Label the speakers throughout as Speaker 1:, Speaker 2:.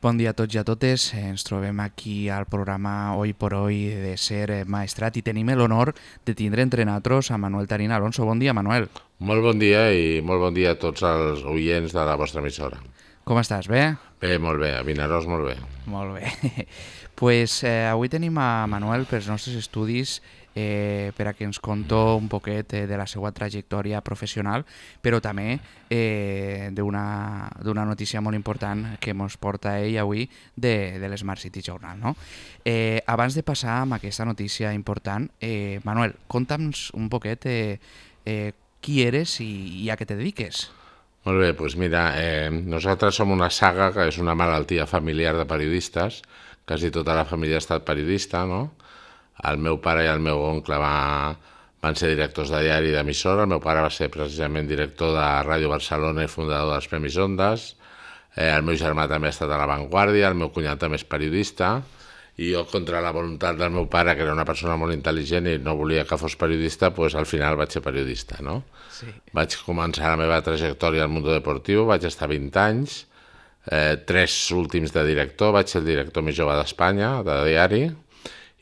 Speaker 1: Bon dia a tots i a totes. Ens trobem aquí al programa Hoy por Hoy de Ser Maestrat i tenim l'honor de tindre entre nosaltres a Manuel Tarín Alonso. Bon dia, Manuel.
Speaker 2: Molt bon dia i molt bon dia a tots els oients de la vostra emissora.
Speaker 1: Com estàs? Bé?
Speaker 2: Bé, molt bé. A Vinaròs, molt bé.
Speaker 1: Molt bé. Pues, avui tenim a Manuel pels nostres estudis per a que ens conto un poquet de la seva trajectòria professional, però també d'una notícia molt important que ens porta ell avui de l'Smart City Journal. No? Abans de passar amb aquesta notícia important, Manuel, conta'ns un poquet qui eres i a què te dediques.
Speaker 2: Molt bé, doncs mira, nosaltres som una saga que és una malaltia familiar de periodistes. Quasi tota la família ha estat periodista, no? El meu pare i el meu oncle van ser directors de diari i d'emissora. El meu pare va ser precisament director de Ràdio Barcelona i fundador dels Premis Ondas. El meu germà també ha estat a La Vanguardia, el meu cunyat també és periodista, i jo, contra la voluntat del meu pare, que era una persona molt intel·ligent i no volia que fos periodista, doncs al final vaig ser periodista, no?
Speaker 1: Sí.
Speaker 2: Vaig començar la meva trajectòria al món deportiu, vaig estar 20 anys, 3 últims de director, vaig ser el director més jove d'Espanya, de diari,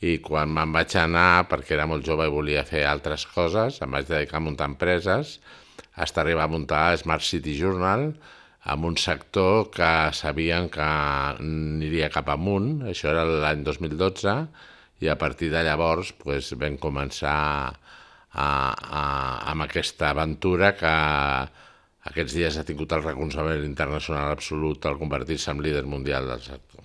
Speaker 2: i quan me'n vaig anar, perquè era molt jove i volia fer altres coses, em vaig dedicar a muntar empreses, fins a arribar a muntar Smart City Journal, amb un sector que sabien que aniria cap amunt. Això era l'any 2012, i a partir de llavors vam començar amb aquesta aventura que aquests dies ha tingut el reconeixement internacional absolut al convertir-se en líder mundial del sector.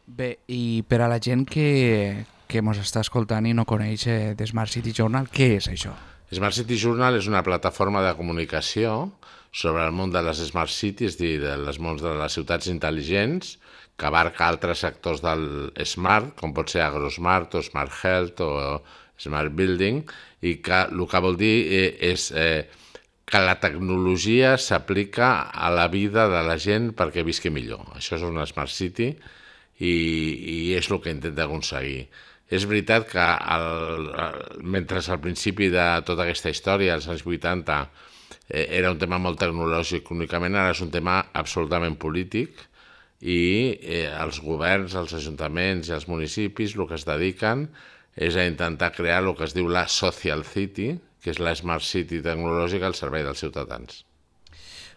Speaker 1: Bé, i per a la gent que ens està escoltant i no coneix de Smart City Journal, què és això?
Speaker 2: Smart City Journal és una plataforma de comunicació sobre el món de les Smart Cities, és a dir, dels mons de les ciutats intel·ligents, que abarca altres sectors del Smart, com pot ser AgroSmart o Smart Health o Smart Building, i que el que vol dir és que la tecnologia s'aplica a la vida de la gent perquè visqui millor. Això és una Smart City i és el que intenta aconseguir. És veritat que mentre al principi de tota aquesta història, als anys 80, era un tema molt tecnològic únicament, ara és un tema absolutament polític i els governs, els ajuntaments i els municipis el que es dediquen és a intentar crear el que es diu la Social City, que és la Smart City tecnològica al servei dels ciutadans.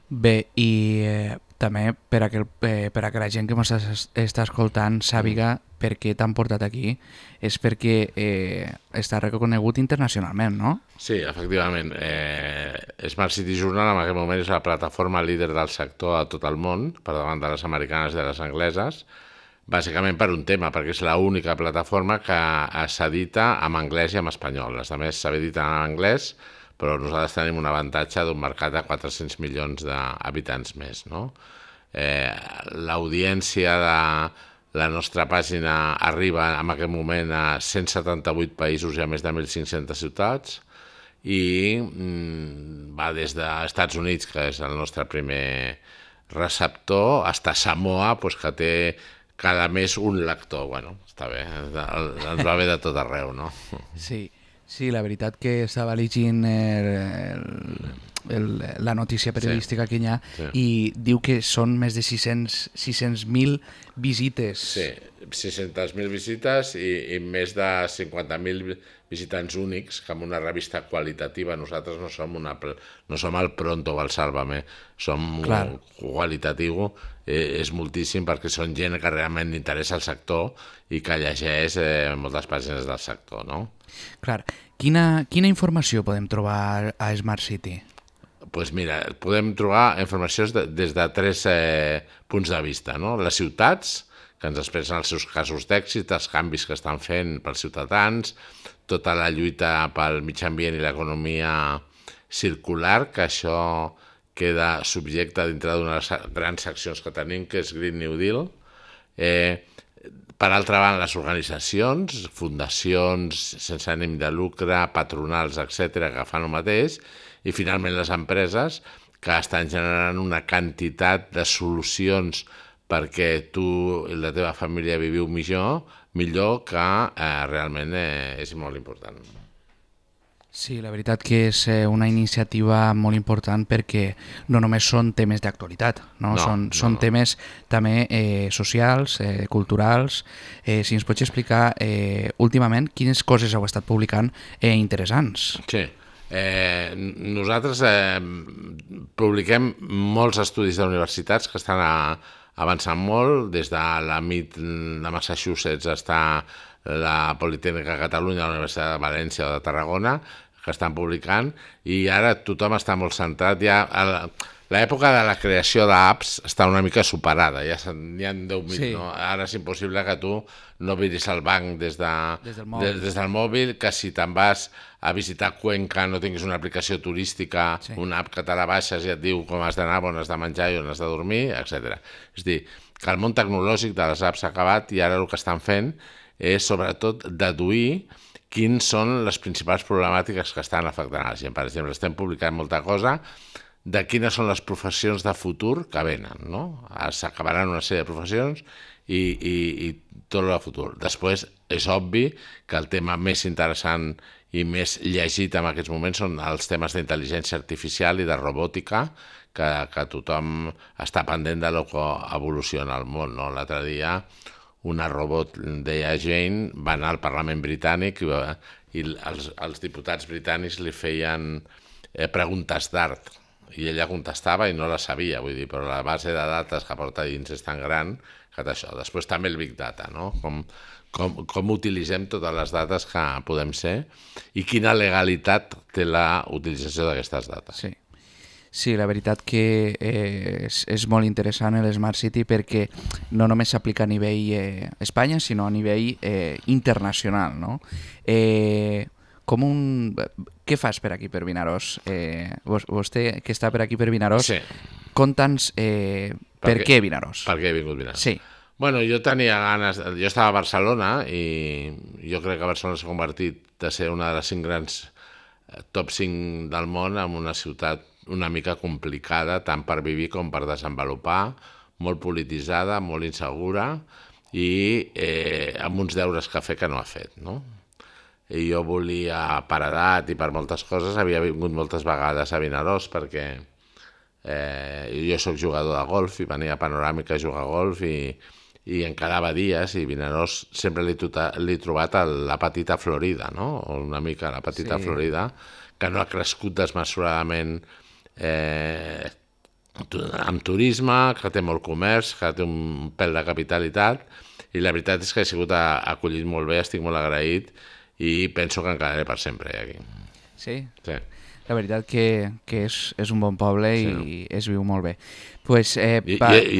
Speaker 1: Bé, i també per a que la gent que ens està escoltant sàpiga per què t'han portat aquí, és perquè està reconegut internacionalment, no?
Speaker 2: Sí, efectivament. Smart City Journal en aquest moment és la plataforma líder del sector a tot el món, per davant de les americanes i de les angleses, bàsicament per un tema, perquè és l'única plataforma que s'edita en anglès i en espanyol. Les altres s'editen en anglès, però nosaltres tenim un avantatge d'un mercat de 400 milions d'habitants més, no? L'audiència de la nostra pàgina arriba en aquest moment a 178 països i a més de 1.500 ciutats, i va des dels Estats Units, que és el nostre primer receptor, fins a Samoa, que té cada mes un lector. Bueno, està bé, ens va bé de tot arreu, no?
Speaker 1: Sí, la veritat que estava llegint la notícia periodística que hi ha, i diu que són més de 600.000 visites. Sí,
Speaker 2: 600.000 visites i més de 50.000 visitants únics, que amb una revista qualitativa, nosaltres no som el Pronto o el Sálvame, som qualitatiu, és moltíssim, perquè són gent que realment interessa el sector i que llegeix moltes pàgines del sector, no?
Speaker 1: Clar. Quina informació podem trobar a Smart City?
Speaker 2: Doncs mira, podem trobar informació des de 3 punts de vista, no? Les ciutats, que ens expressen els seus casos d'èxit, els canvis que estan fent pels ciutadans, tota la lluita pel mig ambient i l'economia circular, que això queda subjecte dintre d'una de les grans seccions que tenim, que és Green New Deal. Per altra banda, les organitzacions, fundacions sense ànim de lucre, patronals, etc., que fan el mateix, i finalment les empreses, que estan generant una quantitat de solucions perquè tu i la teva família viviu millor, que realment és molt important.
Speaker 1: Sí, la veritat que és una iniciativa molt important perquè no només són temes d'actualitat, no?
Speaker 2: No,
Speaker 1: Són
Speaker 2: no.
Speaker 1: temes també socials, culturals. Si ens pots explicar últimament quines coses heu estat publicant interessants.
Speaker 2: Sí. Nosaltres publiquem molts estudis d'universitats que estan avançant molt. Des de la MIT de Massachusetts està la Politècnica de Catalunya, la Universitat de València o de Tarragona, que estan publicant, i ara tothom està molt centrat ja... L'època de la creació d'apps està una mica superada, ja n'hi ha 10.000,
Speaker 1: Sí.
Speaker 2: no? Ara és impossible que tu no miris el banc des
Speaker 1: del mòbil.
Speaker 2: des del mòbil, que si te'n vas a visitar Cuenca no tinguis una aplicació turística,
Speaker 1: Sí.
Speaker 2: una app que te la baixes i et diu com has d'anar, on has de menjar i on has de dormir, etc. És a dir, que el món tecnològic de les apps s'ha acabat i ara el que estan fent és sobretot deduir quins són les principals problemàtiques que estan afectant a la gent. Per exemple, estem publicant molta cosa de quines són les professions de futur que venen, no? S'acabaran una sèrie de professions i tot el futur. Després, és obvi que el tema més interessant i més llegit en aquests moments són els temes d'intel·ligència artificial i de robòtica, que tothom està pendent de lo que evoluciona el món, no? L'altre dia una robot, deia Jane, va anar al Parlament britànic i els diputats britànics li feien preguntes d'art i ella contestava i no la sabia, vull dir, però la base de dates que porta dins és tan gran que això. Després també el Big Data, no? Com utilitzem totes les dades que podem ser i quina legalitat té la utilització d'aquestes dates.
Speaker 1: Sí. Sí, la veritat que és molt interessant l'Smart City perquè no només s'aplica a nivell Espanya, sinó a nivell internacional, no? Què fas per aquí, per Vinaròs? Vostè, que està per aquí per Vinaròs,
Speaker 2: Sí.
Speaker 1: conta'ns per què Vinaròs.
Speaker 2: Per què he vingut Vinaròs?
Speaker 1: Sí.
Speaker 2: Bueno, jo tenia ganes... Jo estava a Barcelona i jo crec que Barcelona s'ha convertit de ser una de les 5 grans top 5 del món en una ciutat una mica complicada, tant per viure com per desenvolupar, molt polititzada, molt insegura i amb uns deures que fer que no ha fet, no? I jo volia, per edat i per moltes coses, havia vingut moltes vegades a Vinaròs perquè jo sóc jugador de golf i venia a Panoràmica a jugar a golf i em quedava dies i Vinaròs sempre l'he trobat a la petita Florida, no? O una mica la petita Florida, que no ha crescut desmesuradament amb turisme, que té molt comerç, que té un pèl de capitalitat, i la veritat és que he sigut acollit molt bé, estic molt agraït i penso que em quedaré per sempre aquí.
Speaker 1: Sí?
Speaker 2: Sí.
Speaker 1: La veritat que és un bon poble i es viu molt bé. Pues,
Speaker 2: I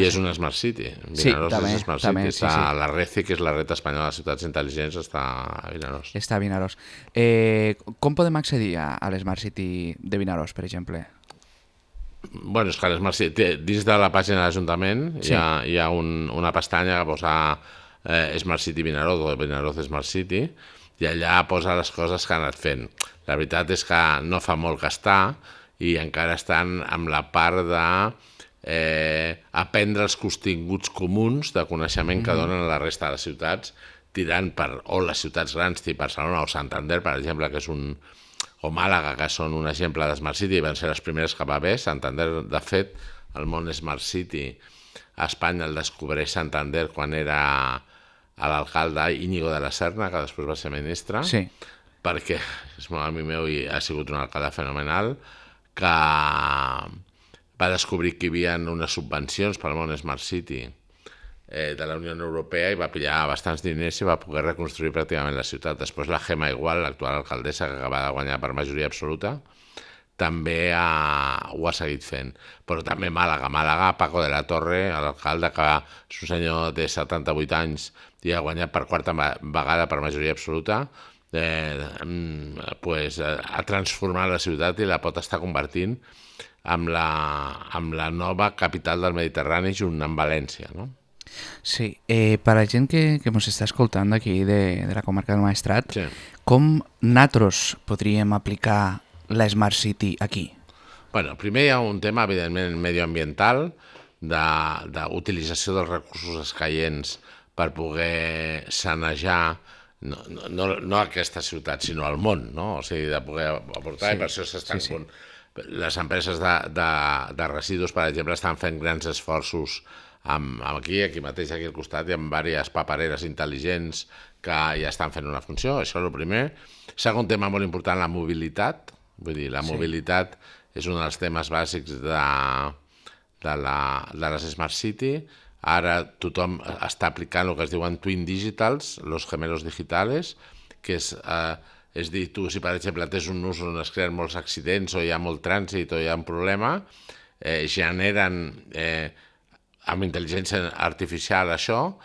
Speaker 2: és una Smart City. Vinaròs
Speaker 1: també,
Speaker 2: és Smart
Speaker 1: també,
Speaker 2: City.
Speaker 1: sí, sí.
Speaker 2: La RECI, que és la Red Espanyola de Ciutats Intel·ligents, està a Vinaròs.
Speaker 1: Està a Vinaròs. Com podem accedir a l'Smart City de Vinaròs, per exemple?
Speaker 2: Bueno, és que l'Smart City, dins de la pàgina de l'Ajuntament
Speaker 1: Sí.
Speaker 2: hi ha una pestanya que posa Smart City Vinaròs o Vinaròs Smart City i allà posa les coses que han anat fent. La veritat és que no fa molt que està i encara estan amb la part de aprendre els continguts comuns de coneixement que donen a la resta de les ciutats, tirant o les ciutats grans, tipus Barcelona o Santander, per exemple, que és o Màlaga, que són un exemple de Smart City, van ser les primeres que va haver. Santander, de fet, el món Smart City a Espanya el descobreix Santander quan era l'alcalde Íñigo de la Serna, que després va ser ministre,
Speaker 1: Sí.
Speaker 2: perquè és molt amic meu i ha sigut un alcalde fenomenal, que va descobrir que hi havia unes subvencions pel món Smart City de la Unió Europea i va pillar bastants diners i va poder reconstruir pràcticament la ciutat. Després la Gemma Igual, l'actual alcaldessa, que acaba de guanyar per majoria absoluta, també ho ha seguit fent. Però també Màlaga, Paco de la Torre, l'alcalde, que és un senyor de 78 anys i ha guanyat per quarta vegada per majoria absoluta, ha transformat la ciutat i la pot estar convertint amb la nova capital del Mediterrani junt amb València, no?
Speaker 1: Sí, per a la gent que ens està escoltant d'aquí, de la comarca del Maestrat,
Speaker 2: Sí.
Speaker 1: com nosaltres podríem aplicar la Smart City aquí?
Speaker 2: Bueno, primer hi ha un tema, evidentment, medioambiental, d'utilització dels recursos escaients per poder sanejar no a aquesta ciutat, sinó al món, no? O sigui, de poder aportar, i per això s'estan... Les empreses de residus, per exemple, estan fent grans esforços aquí mateix, aquí al costat, hi ha diverses papereres intel·ligents que ja estan fent una funció, això és el primer. Segon tema molt important, la mobilitat. Vull dir, la mobilitat és un dels temes bàsics de les Smart City. Ara tothom està aplicant el que es diuen Twin Digitals, los gemelos digitales, que és dir, tu, si per exemple tens un nus on es creen molts accidents o hi ha molt trànsit o hi ha un problema, generen amb intel·ligència artificial això,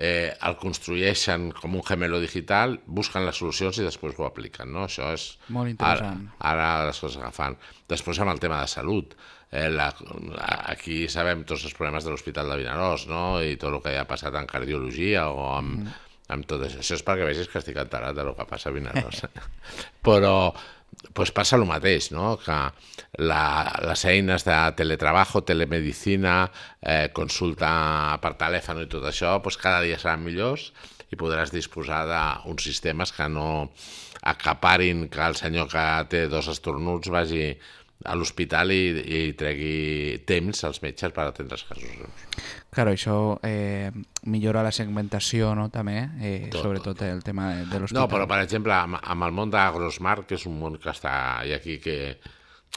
Speaker 2: el construeixen com un gemelo digital, busquen les solucions i després ho apliquen, no? Això és
Speaker 1: molt interessant.
Speaker 2: Ara les coses agafant. Després amb el tema de salut. Aquí sabem tots els problemes de l'Hospital de Vinaròs, no? I tot el que ha passat en cardiologia o amb tot això. Això és perquè vegis que estic enterat del que passa a Vinaròs. Però passa el mateix, no? Que les eines de teletrabajo, telemedicina, consulta per telèfon i tot això, cada dia seran millors i podràs disposar d'uns sistemes que no acaparin que el senyor que té 2 estornuts vagi a l'hospital i tregui temps als metges per atendre els casos.
Speaker 1: Claro, això millora la segmentació, no, també, sobretot el tema de l'hospital.
Speaker 2: No, però per exemple, amb el món d'Agrosmart, que és un món que està aquí, que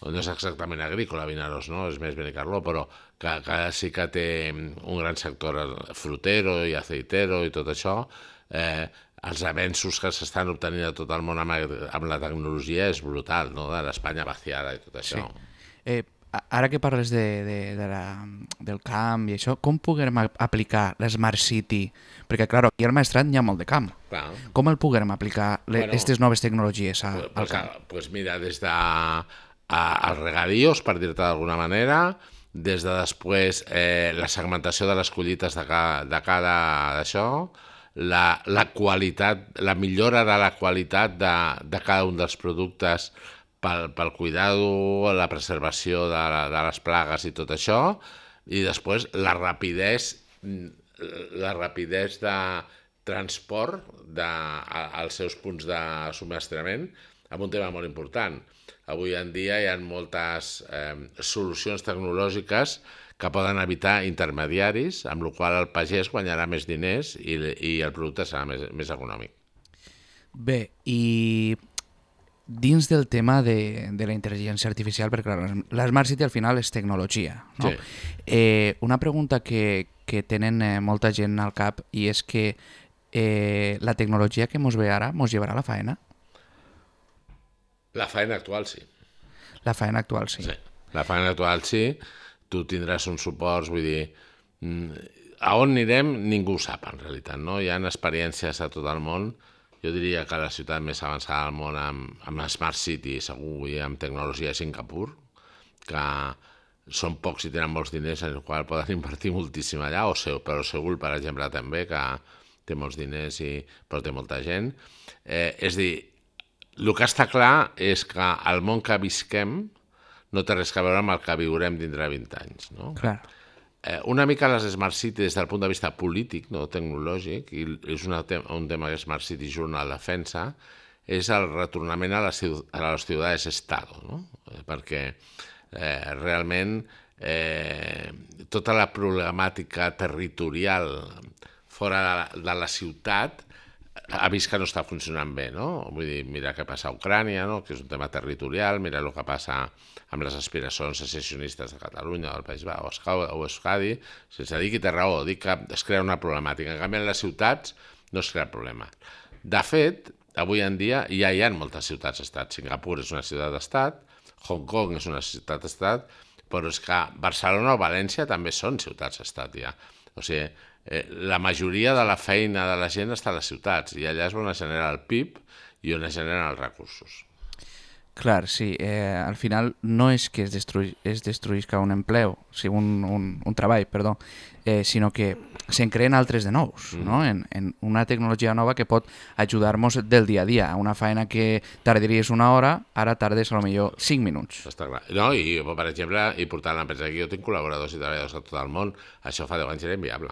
Speaker 2: no és exactament agrícola, Vinaròs, no? És més Benicarló, però que sí que té un gran sector frutero i aceitero i tot això, els avenços que s'estan obtenint a tot el món amb la tecnologia és brutal, no? De l'Espanya vaciada i tot això.
Speaker 1: Sí. Ara que parles del camp i això, com puguem aplicar l'Smart City? Perquè, clar, aquí al Maestrat n'hi ha molt de camp.
Speaker 2: Clar.
Speaker 1: Com el puguem aplicar, aquestes noves tecnologies al camp?
Speaker 2: Doncs mira, des dels regadíos, per dir-te d'alguna manera, des de després la segmentació de les collites de cada d'això, la qualitat, la millora de la qualitat de cada un dels productes pel cuidado, la preservació de les plagues i tot això, i després la rapidesa de transport als seus punts de subministrament, amb un tema molt important. Avui en dia hi ha moltes solucions tecnològiques que poden evitar intermediaris, amb la qual cosa el pagès guanyarà més diners i el producte serà més econòmic.
Speaker 1: Bé, i dins del tema de la intel·ligència artificial, perquè clar, l'Smart City al final és tecnologia, no? Sí. Una pregunta que tenen molta gent al cap, i és que la tecnologia que mos ve ara mos llevarà a la faena?
Speaker 2: La faena actual sí.
Speaker 1: La faena actual sí.
Speaker 2: Sí. La faena actual sí. Tu tindràs uns suports, vull dir, a on anirem ningú ho sap en realitat, no? Hi ha experiències a tot el món. Jo diria que la ciutat més avançada del món amb Smart City, segur, i amb tecnologia és Singapur, que són pocs i tenen molts diners en el qual poden invertir moltíssim allà, però Seül, per exemple, també, que té molts diners però té molta gent. És dir, el que està clar és que el món que visquem no té res a veure amb el que viurem dintre de 20 anys, no?
Speaker 1: Clar.
Speaker 2: Una mica les Smart City des del punt de vista polític, no tecnològic, i és un tema que Smart City Journal defensa, és el retornament a les ciudades-estado, no? Perquè realment tota la problemàtica territorial fora de la ciutat ha vist que no està funcionant bé, no? Vull dir, mira què passa a Ucrània, no? Que és un tema territorial, mira el que passa amb les aspiracions secessionistes de Catalunya, del País Basc o Euskadi, sense dir que té raó, dic que es crea una problemàtica. En canvi, en les ciutats no es crea problema. De fet, avui en dia ja hi ha moltes ciutats-estat. Singapur és una ciutat-estat, Hong Kong és una ciutat-estat, però és que Barcelona o València també són ciutats-estat ja. O sigui, la majoria de la feina de la gent està a les ciutats i allà és on es genera el PIB i on es generen els recursos.
Speaker 1: Clar, sí. Al final no és que es destruïsca un empleo, o sigui, un treball, perdó, sinó que se'n creen altres de nous, no? En una tecnologia nova que pot ajudar-nos del dia a dia. Una feina que tardaries una hora, ara tardes a lo millor 5 minuts.
Speaker 2: Està clar. No, i per exemple, i portant l'empresa aquí, jo tinc col·laboradors i treballadors a tot el món, això fa 10 anys era inviable.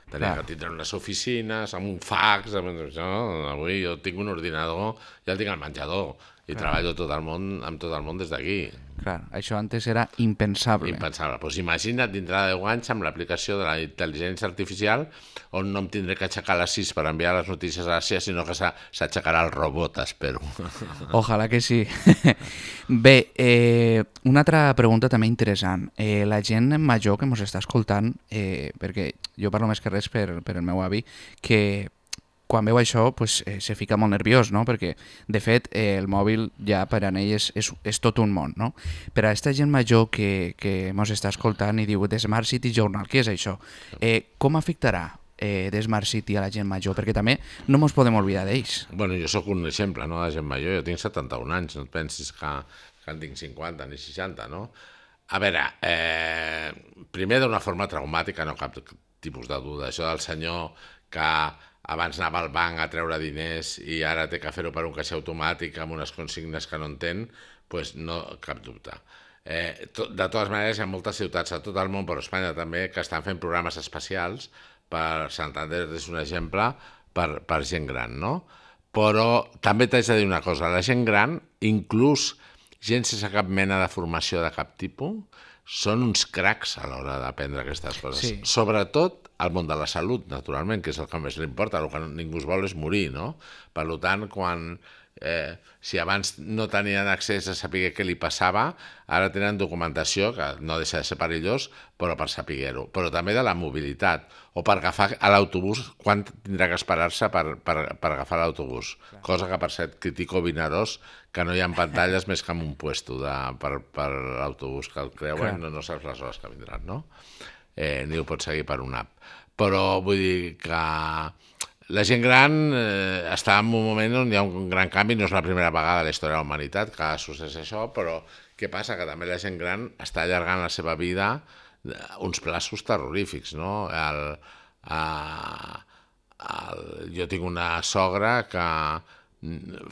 Speaker 2: Tenia que tindre unes oficines, amb un fax, avui jo tinc un ordinador, ja el tinc al menjador, i treballo amb tot el món des d'aquí.
Speaker 1: Clar, això antes era impensable.
Speaker 2: Impensable. Doncs imagina't dintre de 10 anys amb l'aplicació de la intel·ligència artificial on no em tindré que aixecar a les 6 per enviar les notícies a les 6, sinó que s'aixecarà el robot, espero.
Speaker 1: Ojalà que sí. Bé, una altra pregunta també interessant. La gent major que ens està escoltant, perquè jo parlo més que res per el meu avi, que quan veu això pues, se fica molt nerviós, no? Perquè, de fet, el mòbil ja per a ell és tot un món, no? Per a aquesta gent major que ens està escoltant i diu The Smart City Journal, què és això? Com afectarà The Smart City a la gent major? Perquè també no ens podem oblidar d'ells.
Speaker 2: Bueno, jo sóc un exemple, no?, de gent major. Jo tinc 71 anys, no et pensis que en tinc 50 ni 60, no? A veure, primer d'una forma traumàtica, no cap tipus de duda. Això del senyor que abans anava al banc a treure diners i ara té que fer-ho per un caixer automàtic amb unes consignes que no entén, doncs no, cap dubte. De totes maneres, hi ha moltes ciutats a tot el món, però a Espanya també, que estan fent programes especials per Santander, és un exemple, per gent gran, no? Però també t'haig de dir una cosa, la gent gran, inclús gent sense cap mena de formació de cap tipus, són uns cracs a l'hora d'aprendre aquestes coses.
Speaker 1: Sí.
Speaker 2: Sobretot al món de la salut, naturalment, que és el que més li importa, el que ningú es vol és morir, no? Per tant, si abans no tenien accés a saber què li passava, ara tenen documentació, que no deixa de ser perillós, però per saber-ho. Però també de la mobilitat, o per agafar l'autobús, quan tindrà que esperar-se per agafar l'autobús. Cosa que, per cert, critico Vinaròs, que no hi ha pantalles més que en un puesto per l'autobús que el creuen, no saps les hores que vindran, no? Ni ho pots seguir per una app. Però vull dir que la gent gran està en un moment on hi ha un gran canvi, no és la primera vegada a la història de la humanitat que succeeix això, però què passa? Que també la gent gran està allargant la seva vida uns plaços terrorífics, no? Jo tinc una sogra que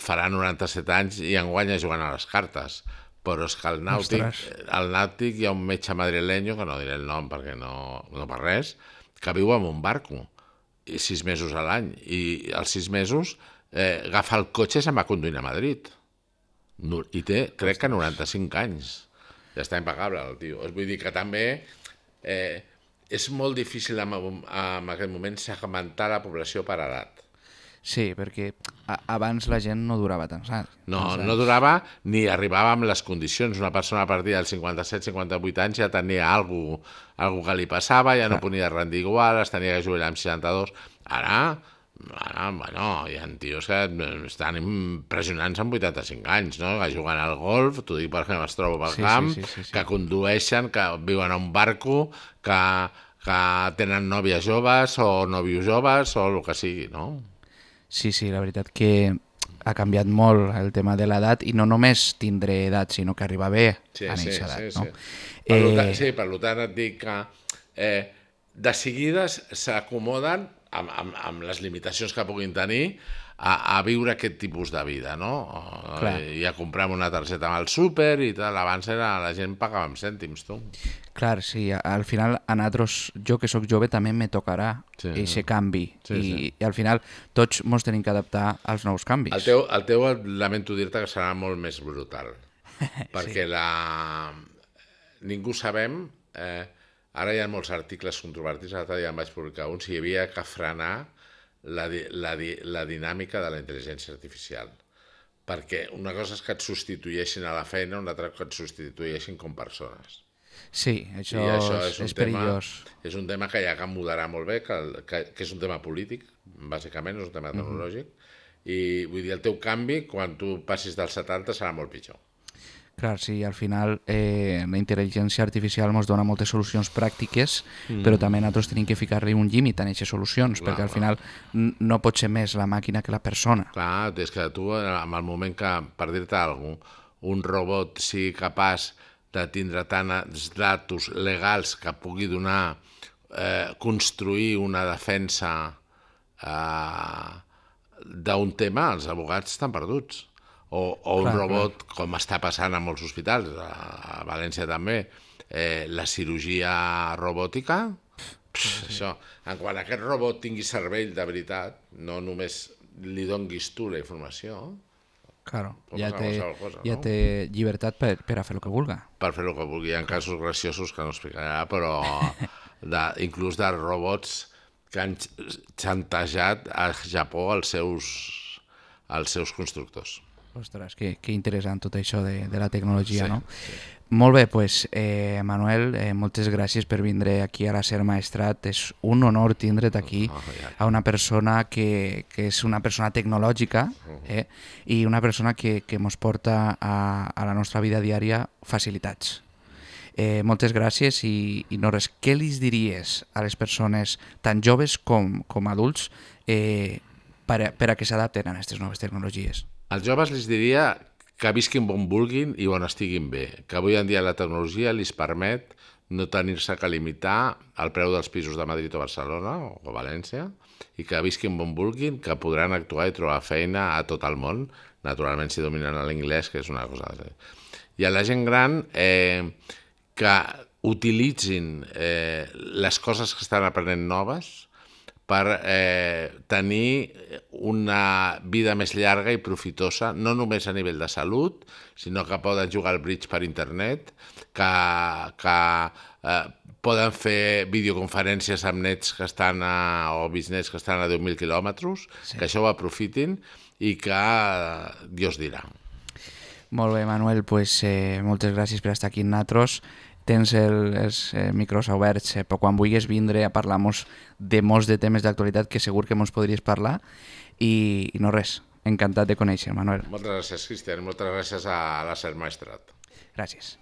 Speaker 2: farà 97 anys i enguany jugant a les cartes, però és que al Nàutic hi ha un metge madrileño, que no diré el nom perquè no per res, que viu en un barco 6 mesos a l'any, i als 6 mesos agafa el cotxe i se'n va conduint a Madrid. I té, crec que 95 anys. Ja està impecable el tio. Vull dir que també és molt difícil en aquest moment segmentar la població per edat.
Speaker 1: Sí, perquè abans la gent no durava tants anys.
Speaker 2: No durava ni arribava amb les condicions. Una persona a partir dels 57-58 anys ja tenia alguna cosa que li passava, ja no podia rendir igual, es tenia que jubilar amb 62. Ara, bueno, hi ha tios que estan impressionants amb 85 anys, no? Que juguen al golf, t'ho dic perquè es trobo pel camp, que condueixen, que viuen a un barco, que tenen nòvies joves o nòvios joves o el que sigui, no?
Speaker 1: Sí, la veritat que ha canviat molt el tema de l'edat, i no només tindre edat, sinó que arriba bé a néixer edat, no?
Speaker 2: Per tant et dic que de seguida s'acomoden amb les limitacions que puguin tenir a viure aquest tipus de vida, no? I a comprar una targeta amb el súper i tal. Abans la gent pagava amb cèntims, tu.
Speaker 1: Clar, sí, al final a nosaltres, jo que sóc jove, també me tocarà aquest canvi, i al final tots ens tenim que adaptar als nous canvis.
Speaker 2: El teu lamento dir-te que serà molt més brutal, perquè ningú sabem, ara hi ha molts articles controvertits, l'altre dia en vaig publicar un, si hi havia que frenar la dinàmica de la intel·ligència artificial, perquè una cosa és que et substitueixin a la feina, una altra que et substitueixin com persones.
Speaker 1: Sí, això és perillós.
Speaker 2: És un tema que hi ha que moderar molt bé, que és un tema polític, bàsicament, és un tema tecnològic, i vull dir, el teu canvi, quan tu passis dels 70, serà molt pitjor.
Speaker 1: Clar, sí, al final la intel·ligència artificial ens dona moltes solucions pràctiques, però també nosaltres tenim que ficar-li un límit a aquestes solucions, perquè al final no pot ser més la màquina que la persona.
Speaker 2: Clar, és que tu, en el moment que, per dir-te alguna cosa, un robot sigui capaç de tindre tants datos legals que pugui donar, construir una defensa d'un tema, els advocats estan perduts. O un robot, com està passant a molts hospitals, a València també, la cirurgia robòtica, Això, en quan aquest robot tingui cervell de veritat, no només li donguis tu la informació,
Speaker 1: Claro,
Speaker 2: pot
Speaker 1: ja
Speaker 2: passar
Speaker 1: té,
Speaker 2: qualsevol cosa,
Speaker 1: ja
Speaker 2: no?
Speaker 1: té llibertat per a fer el que vulga.
Speaker 2: Per fer el que vulgui. Hi ha casos graciosos que no explicarà, però inclús de robots que han xantejat a Japó als seus constructors.
Speaker 1: Ostres, que interessant tot això de la tecnologia,
Speaker 2: Sí,
Speaker 1: no?
Speaker 2: sí.
Speaker 1: Molt bé, doncs, Manuel, moltes gràcies per vindre aquí a la SER Maestrat. És un honor tindre't aquí
Speaker 2: Ja.
Speaker 1: a una persona que és una persona tecnològica i una persona que ens porta a la nostra vida diària facilitats. Moltes gràcies i no res, què li diries a les persones tan joves com adults per a que s'adapten a aquestes noves tecnologies?
Speaker 2: Als joves els diria que visquin on vulguin i on estiguin bé, que avui en dia la tecnologia els permet no tenir-se que limitar al preu dels pisos de Madrid o Barcelona o València i que visquin on vulguin, que podran actuar i trobar feina a tot el món, naturalment si dominen l'anglès, que és una cosa... I a la gent gran que utilitzin les coses que estan aprenent noves per tenir una vida més llarga i profitosa, no només a nivell de salut, sinó que poden jugar al bridge per internet, que poden fer videoconferències amb nets que estan o bisnets que estan a 10.000 quilòmetres, sí. Que això ho aprofitin i que Dios dirà.
Speaker 1: Molt bé, Manuel, pues, moltes gràcies per estar aquí amb nosaltres. Tens els micros oberts per quan vulguis vindre a parlar-nos de molts de temes d'actualitat que segur que ens podries parlar i no res, encantat de conèixer, Manuel.
Speaker 2: Moltes gràcies, Cristian, moltes gràcies a la SER Maestrat.
Speaker 1: Gràcies.